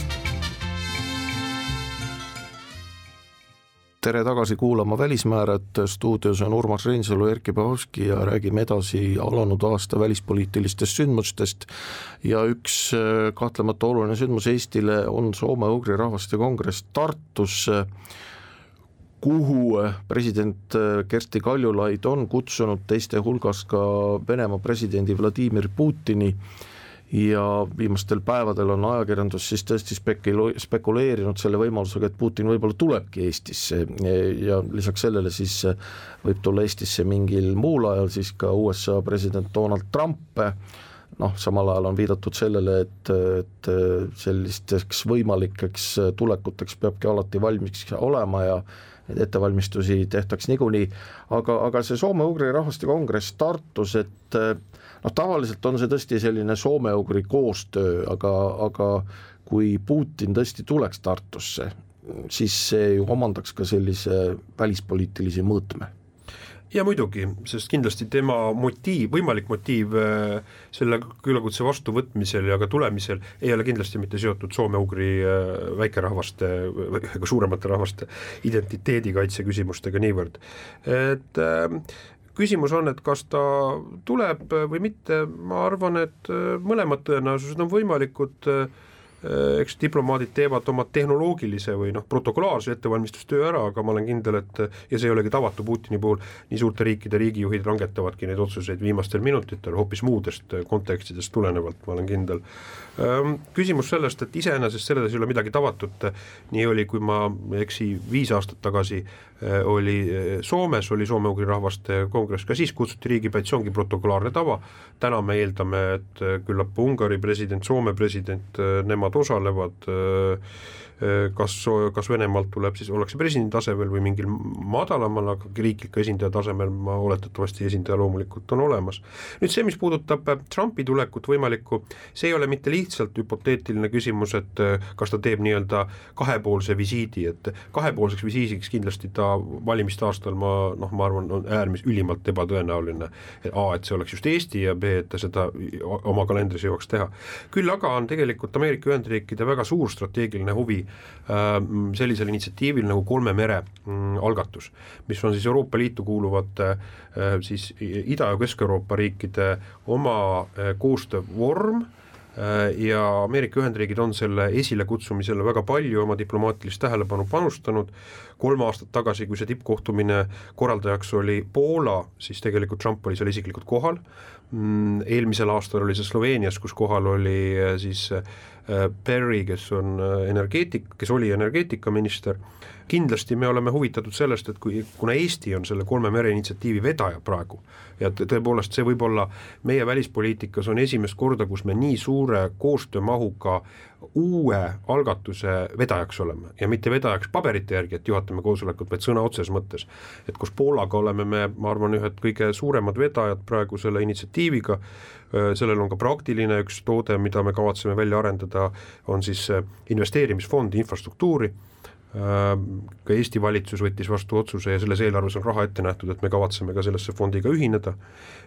Tere tagasi kuulama Välismäärad, stuudios on Urmas Reinsalu, Erkki Pahovski ja räägime edasi alanud aasta välispoliitilistest sündmustest ja üks kahtlemata oluline sündmus Eestile on Soome-Ugri rahvaste kongress Tartus, kuhu president Kersti Kaljulaid on kutsunud teiste hulgas ka Venemaa presidendi Vladimir Putini ja viimastel päevadel on ajakirjandus siis tõesti spekuleerinud selle võimalusega, et Putin võib-olla tulebki Eestisse ja lisaks sellele siis võib tulla Eestisse mingil muul ajal siis ka USA president Donald Trump. Samal ajal on viidatud sellele, et sellisteks võimalikeks tulekuteks peabki alati valmis olema ja need ettevalmistusi tehtaks niikuinii, aga see Soome-Ugri rahvaste kongress Tartus, et tavaliselt on see tõesti selline Soome-Ugri koostöö, aga kui Putin tõesti tuleks Tartusse, siis see ju omandaks ka sellise välispoliitilise mõõtme. Ja muidugi, sest kindlasti tema võimalik motiiv selle küülakutse vastuvõtmisel ja ka tulemisel ei ole kindlasti mitte seotud Soome-Ugri väikerahvaste või suuremate rahvaste identiteedikaitse küsimustega niivõrd. Et küsimus on, et kas ta tuleb või mitte, ma arvan, et mõlemad tõenäosused on võimalikud. Eks diplomaadid teevad oma tehnoloogilise või protokolaarse ettevalmistustöö ära, aga ma olen kindel, et ja see ei olegi tavatu Putini puhul, nii suurte riikide riigijuhid langetavadki neid otsuseid viimastel minutitel hoopis muudest kontekstidest tulenevalt, ma olen kindel. Küsimus sellest, et iseenesest selles ei ole midagi tavatut, nii oli, kui ma eksi 5 aastat tagasi oli Soomes, oli Soome-Ugri rahvaste kongress, ka siis kutsuti riigipäid, see ongi protokolaarne tava. Täna me eeldame, et küllap Ungari president, Soome president, nemad osalevad, kas Venemaalt tuleb, siis ollakse presidendi tasemel või mingil madalamal, aga riikliku esindaja tasemel ma oletatavasti esindaja loomulikult on olemas. Nüüd see, mis puudutab Trumpi tulekut võimalikku, see ei ole mitte lihtsalt hüpoteetiline küsimus, et kas ta teeb nii-öelda kahepoolse visiidi, et kahepoolseks visiisiks kindlasti ta valimiste aastal ma arvan, on ülimalt ebatõenäoline, et see oleks just Eesti ja B, et ta seda oma kalendris jõuaks teha. Küll aga on tegelikult Ameerika Ühendriikide väga suur strateegiline huvi sellisel initsiatiivil nagu 3 mere algatus, mis on siis Euroopa Liitu kuuluvate siis Ida- ja Kesk-Euroopa riikide oma koostöövorm ja Ameerika Ühendriigid on selle esile kutsumisele väga palju oma diplomaatilist tähelepanu panustanud. 3 aastat tagasi, kui see tippkohtumine korraldajaks oli Poola, siis tegelikult Trump oli seal isiklikult kohal. Eelmisel aastal oli see Sloveenias, kus kohal oli siis Perry, kes oli energeetikaminister. Kindlasti me oleme huvitatud sellest, et kuna Eesti on selle 3 mere initsiatiivi vedaja praegu ja tõepoolest see võib olla meie välispoliitikas on esimest korda, kus me nii suure koostöömahuga uue algatuse vedajaks oleme ja mitte vedajaks paberite järgi, et juhatame koosolekut, vaid sõna otses mõttes. Et kus Poolaga oleme me, ma arvan, ühed kõige suuremad vedajad praegu selle initsiatiiviga, sellel on ka praktiline üks toode, mida me kavatseme välja arendada, on siis investeerimisfond infrastruktuuri. Ka Eesti valitsus võttis vastu otsuse ja selles eelarves on raha ette nähtud, et me kavatseme ka sellesse fondiga ühineda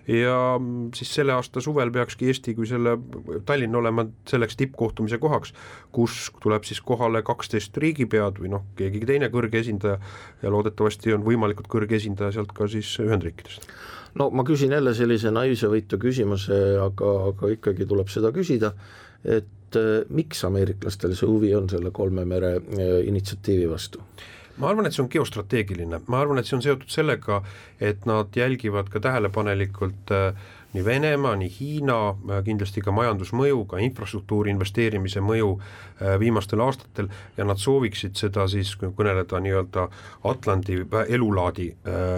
ja siis selle aasta suvel peakski Eesti kui selle Tallinn olema selleks tippkohtumise kohaks, kus tuleb siis kohale 12 riigipead või keegi teine kõrge esindaja ja loodetavasti on võimalikult kõrge esindaja sealt ka siis Ühendriikidest. Ma küsin jälle sellise naiivsevõitu küsimuse, aga ikkagi tuleb seda küsida, et miks ameeriklastel see huvi on selle 3 mere initsiatiivi vastu? Ma arvan, et see on geostrateegiline. Ma arvan, et see on seotud sellega, et nad jälgivad ka tähelepanelikult nii Venemaa, nii Hiina, kindlasti ka majandusmõju, ka infrastruktuuri investeerimise mõju viimastel aastatel ja nad sooviksid seda siis kõneleda nii-öelda Atlandi elulaadi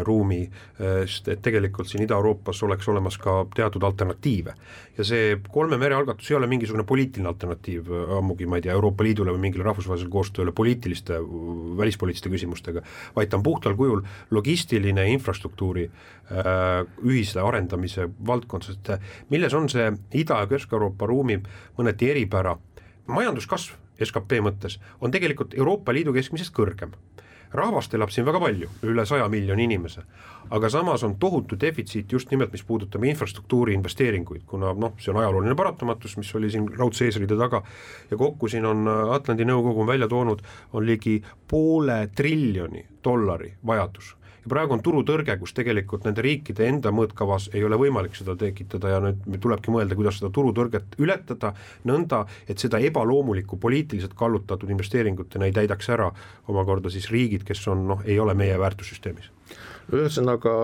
ruumi, sest et tegelikult siin Ida-Euroopas oleks olemas ka teatud alternatiive. Ja see 3 mere algatus ei ole mingisugune poliitiline alternatiiv ammugi, ma ei tea, Euroopa Liidule või mingile rahvusvahelisele koostööle poliitiliste, välispoliitiliste küsimustega, vaid ta on puhtal kujul logistiline infrastruktuuri ühise arendamise valdkond, sest milles on see Ida- ja Kesk-Euroopa ruumi mõneti eripära. Majanduskasv SKP mõttes on tegelikult Euroopa Liidu keskmisest kõrgem. Rahvast elab siin väga palju, üle 100 miljoni inimese, aga samas on tohutu defitsiit just nimelt, mis puudutab infrastruktuuri investeeringuid, kuna see on ajalooline paratamatus, mis oli siin raudse eesriide taga ja kokku siin on Atlandi nõukogu välja toonud, on ligi $500 billion vajadus. Ja praegu on turutõrge, kus tegelikult nende riikide enda mõõtkavas ei ole võimalik seda tekitada ja nüüd tulebki mõelda, kuidas seda turutõrget ületada nõnda, et seda ebaloomulikku poliitiliselt kallutatud investeeringutena ei täidaks ära omakorda siis riigid, kes on, ei ole meie väärtussüsteemis. Ühesõnaga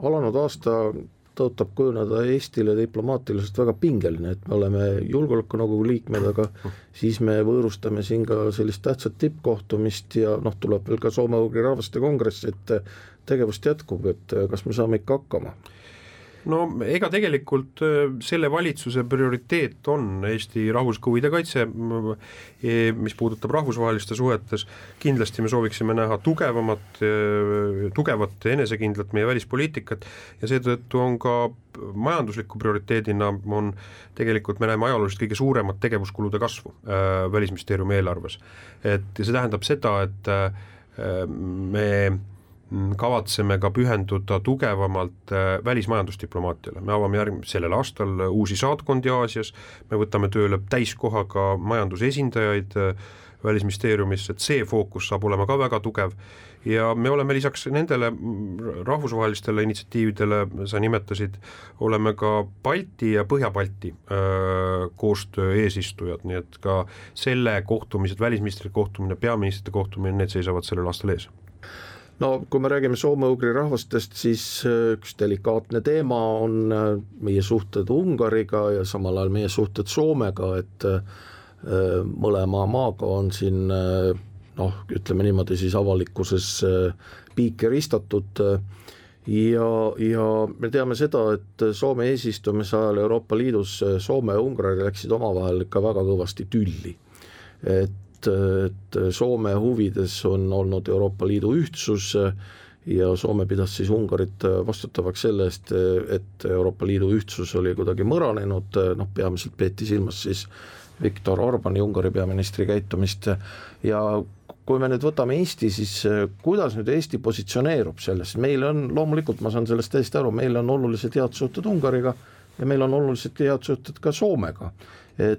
alanud aasta tõotab kujuneda Eestile diplomaatiliselt väga pingeline, et me oleme julgeolekunõukogu liikmed, aga siis me võõrustame siin ka sellist tähtsat tippkohtumist ja tuleb veel ka soome-ugri rahvaste kongress, et tegevust jätkub, et kas me saame ikka hakkama? No ega tegelikult selle valitsuse prioriteet on Eesti rahvushuvide kaitse, mis puudutab rahvusvaheliste suhetes. Kindlasti me sooviksime näha tugevat enesekindlat meie välispoliitikat ja seetõttu on ka majandusliku prioriteedina on tegelikult me näeme ajalooliselt kõige suuremat tegevuskulude kasvu Välisministeeriumi eelarves. Et see tähendab seda, et me kavatseme ka pühenduda tugevamalt välismajandusdiplomaatiale. Me avame sellel aastal uusi saatkondi Aasias, me võtame tööle täiskohaga majandusesindajaid Välisministeeriumis, et see fookus saab olema ka väga tugev ja me oleme lisaks nendele rahvusvahelistele initsiatiividele, sa nimetasid, oleme ka Balti ja Põhja-Balti koostöö eesistujad, nii et ka selle kohtumised, välisministrite kohtumine, peaministrite kohtumine, need seisavad sellel aastal ees. No kui me räägime soome-ugri rahvastest, siis üks delikaatne teema on meie suhted Ungariga ja samal ajal meie suhted Soomega, et mõlema maaga on siin ütleme niimoodi siis avalikkuses piike ristatud ja me teame seda, et Soome eesistumise ajal Euroopa Liidus Soome ja Ungari läksid omavahel ikka väga kõvasti tülli, et Soome huvides on olnud Euroopa Liidu ühtsus ja Soome pidas siis Ungarit vastutavaks selle eest, et Euroopa Liidu ühtsus oli kuidagi mõranenud, peamiselt peeti silmas siis Viktor Orbani, Ungari peaministri käitumist ja kui me nüüd võtame Eesti, siis kuidas nüüd Eesti positsioneerub selles, meil on loomulikult, ma saan sellest täiesti aru, meil on olulised head suhted Ungariga ja meil on olulised head suhted ka Soomega, et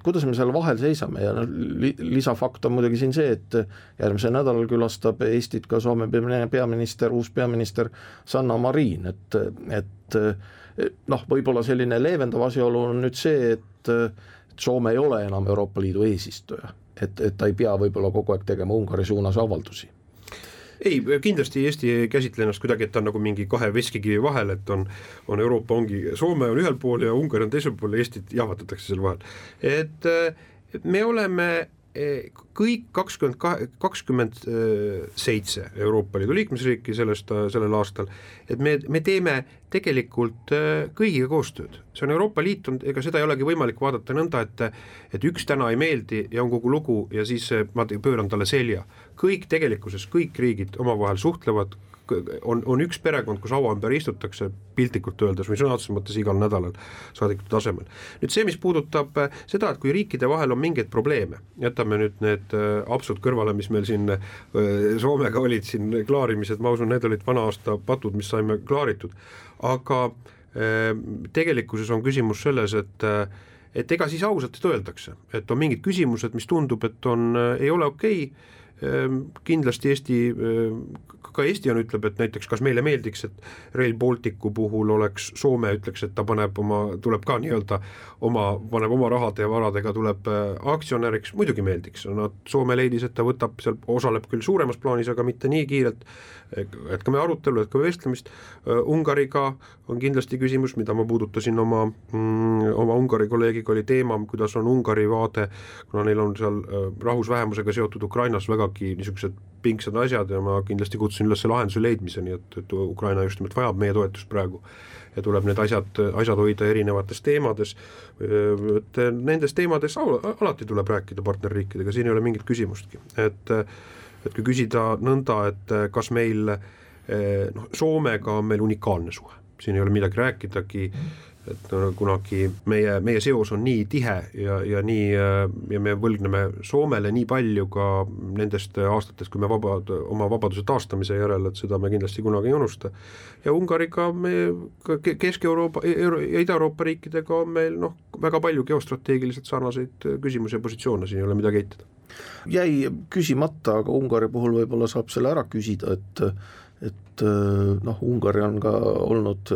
kuidas me seal vahel seisame ja lisafakt on muidugi siin see, et järgmisel nädalal külastab Eestit ka Soome peaminister, uus peaminister Sanna Marin, et võib-olla selline leevendav asjaolu on nüüd see, et Soome ei ole enam Euroopa Liidu eesistuja, et ta ei pea võib-olla kogu aeg tegema Ungari suunas avaldusi. Ei, kindlasti Eesti ei käsitle ennast kuidagi, et ta on nagu mingi kahe veskikivi vahel, et on Euroopa ongi, Soome on ühel pool ja Ungari on teisel pool ja Eestit jahvatatakse seal vahel. Et me oleme kõik 27 Euroopa Liidu liikmesriiki sellel aastal, et me teeme tegelikult kõigiga koostööd. See on Euroopa Liit, ega seda ei olegi võimalik vaadata nõnda, et üks täna ei meeldi ja on kogu lugu ja siis ma pööran talle selja. Kõik tegelikkuses, kõik riigid omavahel suhtlevad, on üks perekond, kus haua ümber istutakse piltlikult öeldes või sõna otseses mõttes igal nädalal saadikute tasemel. Nüüd see, mis puudutab seda, et kui riikide vahel on mingeid probleeme, jätame nüüd need absurd kõrvale, mis meil siin Soomega olid siin klaarimised, ma usun, need olid vana aasta patud, mis saime klaaritud, aga tegelikkuses on küsimus selles, et ega siis ausalt öeldakse, et on mingid küsimused, mis tundub, et ei ole okei. Kindlasti ka Eesti ütleb, et näiteks kas meile meeldiks, et Rail Balticu puhul oleks Soome ütleks, et ta tuleb ka nii-öelda paneb oma rahade ja varadega tuleb aktsionäriks, muidugi meeldiks. Soome leidis, et ta seal osaleb küll suuremas plaanis, aga mitte nii kiirelt, et ka me arutelu, et ka vestlemist. Ungariga on kindlasti küsimus, mida ma puudutasin oma Ungari kolleegiga, oli teema, kuidas on Ungari vaade, kuna neil on seal rahvusvähemusega seotud Ukrainas vägagi niisugused pingsad asjad ja ma kindlasti kutsun üles lahenduse leidmiseni, et Ukraina just nimelt vajab meie toetust praegu ja tuleb need asjad hoida erinevates teemades, et nendes teemades alati tuleb rääkida partnerriikidega, siin ei ole mingit küsimustki, et kui küsida nõnda, et kas meil Soomega on meil unikaalne suhe, siin ei ole midagi rääkidagi, et kunagi meie seos on nii tihe ja me võlgneme Soomele nii palju ka nendest aastatest, kui me oma vabaduse taastamise järel, et seda me kindlasti kunagi ei unusta. Ja Ungariga Kesk-Euroopa ja Ida-Euroopa riikidega on meil väga palju geostrateegiliselt sarnaseid küsimusi ja positsioone, siin ei ole midagi eitada. Jäi küsimata, aga Ungari puhul võib-olla saab selle ära küsida, et Ungari on ka olnud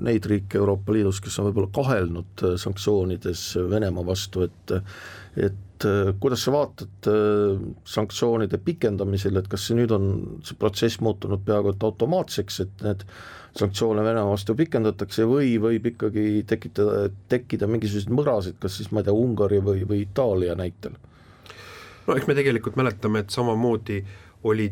neid riike Euroopa Liidus, kes on võib-olla kahelnud sanktsioonides Venemaa vastu, et kuidas sa vaatad sanktsioonide pikendamisel, et kas see nüüd on see protsess muutunud peaaegu et automaatseks, et need sanktsioone Venemaa vastu pikendatakse või võib ikkagi tekkida mingisuguseid mõrasid, kas siis ma ei tea, Ungari või Itaalia näitel? No eks me tegelikult mäletame, et samamoodi oli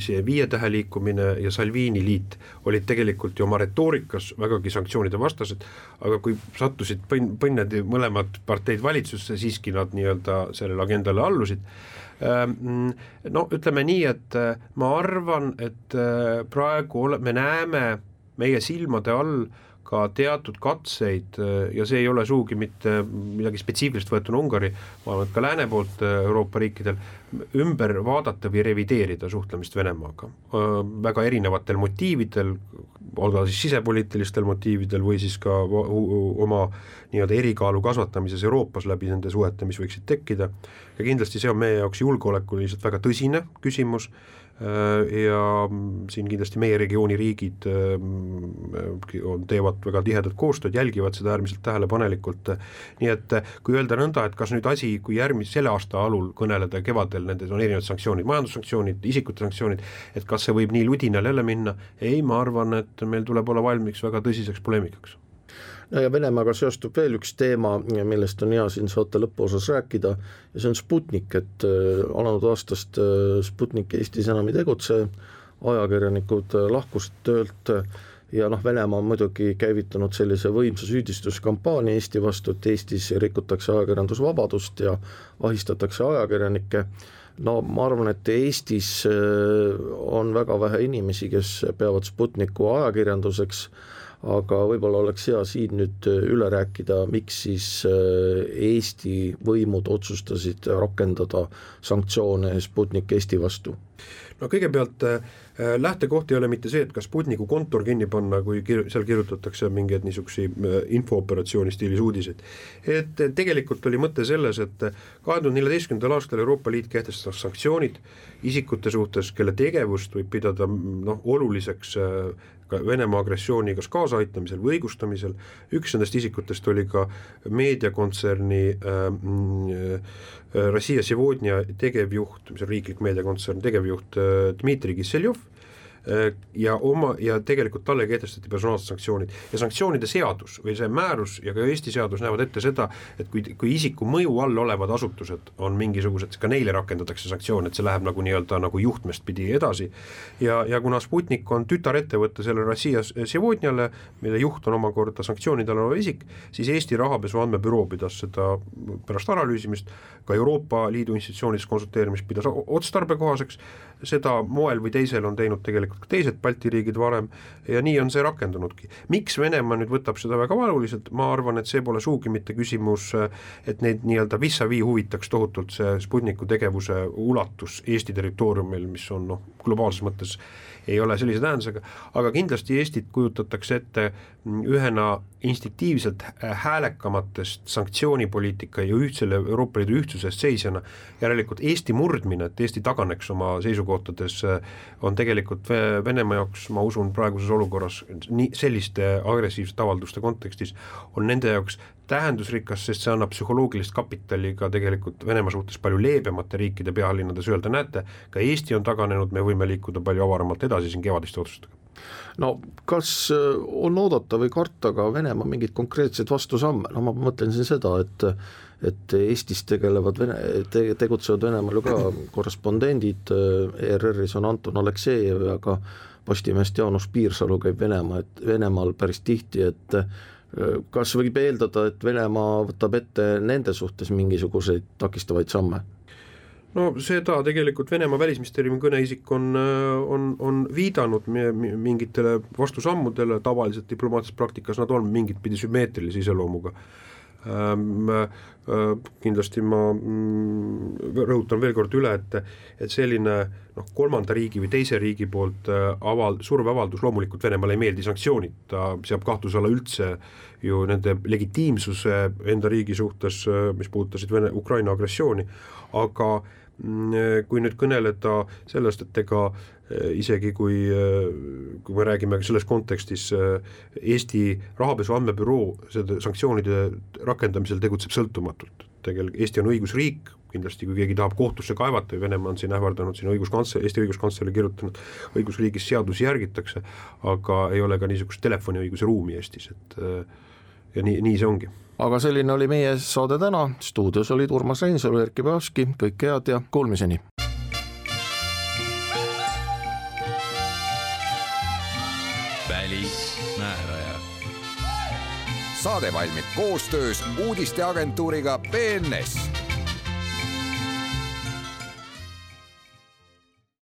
see 5 tähe liikumine ja Salvini liit olid tegelikult ju oma retoorikas vägagi sanktsioonide vastased, aga kui sattusid põnnedi mõlemad parteid valitsusse, siiski nad nii-öelda sellele agendale allusid. No ütleme nii, et ma arvan, et praegu me näeme meie silmade all ka teatud katseid ja see ei ole suugi mitte midagi spetsiifilist võetuna Ungari, ma arvan, et ka lääne poolt Euroopa riikidel ümber vaadata või revideerida suhtlemist Venemaaga. Väga erinevatel motiividel, olga siis sisepoliitilistel motiividel või siis ka oma nii-öelda erikaalu kasvatamises Euroopas läbi nende suhete, mis võiksid tekkida. Ja kindlasti see on meie jaoks julgeolekuliselt väga tõsine küsimus ja siin kindlasti meie regiooni riigid teevad väga tihedat koostööd, jälgivad seda äärmiselt tähelepanelikult, nii et kui öelda nõnda, et kas nüüd asi, kui selle aasta alul kõneleda kevadel, nendes on erinevad sanktsioonid, majandussanktsioonid, isikute sanktsioonid, et kas see võib nii ludinal jälle minna, ei, ma arvan, et meil tuleb olla valmiks väga tõsiseks poleemikaks. Ja Venemaaga seostub veel üks teema, millest on hea siin saate lõpuosas rääkida, ja see on Sputnik, et alanud aastast Sputnik Eestis enam ei tegutse, ajakirjanikud lahkusid töölt ja Venemaa on muidugi käivitanud sellise võimsa süüdistuskampaania Eesti vastu, et Eestis rikutakse ajakirjandusvabadust ja ahistatakse ajakirjanikke. No ma arvan, et Eestis on väga vähe inimesi, kes peavad Sputniku ajakirjanduseks, aga võib-olla oleks hea siin nüüd üle rääkida, miks siis Eesti võimud otsustasid rakendada sanktsioone Sputnik Eesti vastu. No kõigepealt lähtekoht ei ole mitte see, et kas Sputniku kontor kinni panna, kui seal kirjutatakse mingeid niisugusi infooperatsiooni stiilis uudiseid. Et tegelikult oli mõte selles, et 2014. aastal Euroopa Liit kehtestas sanktsioonid isikute suhtes, kelle tegevust võib pidada oluliseks Venemaa agressiooni kas kaasaaitamisel või õigustamisel. Üks nendest isikutest oli ka meediakontserni Rossija Sevodnia tegevjuht, mis on riiklik meediakontsern, tegevjuht Dmitri Kisseljov, ja tegelikult talle kehtestati personaalsed sanktsioonid ja sanktsioonide seadus või see määrus ja ka Eesti seadus näevad ette seda, et kui isiku mõju all olevad asutused on mingisugused, ka neile rakendatakse sanktsioon, et see läheb nagu nii-öelda nagu juhtmest pidi edasi ja kuna Sputnik on tütarettevõtte selle Rossija Sevodniale, mille juht on omakorda sanktsioonidel olev isik, siis Eesti rahapesu andmebüroo pidas seda pärast analüüsimist, ka Euroopa Liidu institutsioonides konsulteerimist pidas otstarbekohaseks, seda moel või teisel on teinud tegelikult ka teised Balti riigid varem ja nii on see rakendunudki. Miks Venemaa nüüd võtab seda väga valuliselt? Ma arvan, et see pole suugi mitte küsimus, et neid nii-öelda vis-a-vis huvitaks tohutult see Sputniku tegevuse ulatus Eesti territooriumil, mis on globaalses mõttes ei ole sellise tähendusega, aga kindlasti Eestit kujutatakse ette ühena instinktiivselt häälekamatest sanktsioonipoliitika ja selle Euroopa Liidu ühtsusest seisjana. Järelikult Eesti murdmine, et Eesti taganeks oma seisukohtades, on tegelikult Venemaa jaoks, ma usun, praeguses olukorras selliste agressiivsete avalduste kontekstis on nende jaoks tähendusrikas, sest see annab psühholoogilist kapitali ka tegelikult Venemaa suhtes palju leebemate riikide pealinnades öelda, näete, ka Eesti on taganenud, me võime liikuda palju avaramalt edasi siin kevadiste otsustega. No kas on oodata või karta ka Venemaa mingid konkreetsed vastusamme? No ma mõtlen siin seda, et Eestis tegutsevad Venemaal ju ka korrespondendid, ERR-is on Anton Aleksejev ja ka Postimeest Jaanus Piirsalu käib Venemaal päris tihti, et kas võib eeldada, et Venemaa võtab ette nende suhtes mingisuguseid takistavaid samme? No seda tegelikult Venemaa välisministeeriumi kõneisik on viidanud mingitele vastusammudele, tavaliselt diplomaatilises praktikas nad on mingit pidi sümmeetrilise iseloomuga. Kindlasti ma rõhutan veel kord üle, et selline kolmanda riigi või teise riigi poolt surveavaldus, loomulikult Venemaale ei meeldi sanktsioonid, ta seab kahtluse alla üldse ju nende legitiimsuse enda riigi suhtes, mis puudutasid Ukraina agressiooni, aga kui nüüd kõneleda sellest, et ega isegi kui me räägime selles kontekstis Eesti rahapesu andmebüroo seda sanktsioonide rakendamisel tegutseb sõltumatult. Eesti on õigusriik, kindlasti kui keegi tahab kohtusse kaevata või Venemaa on siin ähvardanud, siin Eesti õiguskantsleri kirjutanud, õigusriigis seadusi järgitakse, aga ei ole ka niisugust telefoniõiguse ruumi Eestis, et ja nii see ongi. Aga selline oli meie saade täna, stuudios olid Urmas Reinsalu, Erkki Päevski, kõik head ja kuulmiseni. Välismääraja. Saade valmib koostöös uudisteagentuuriga BNS.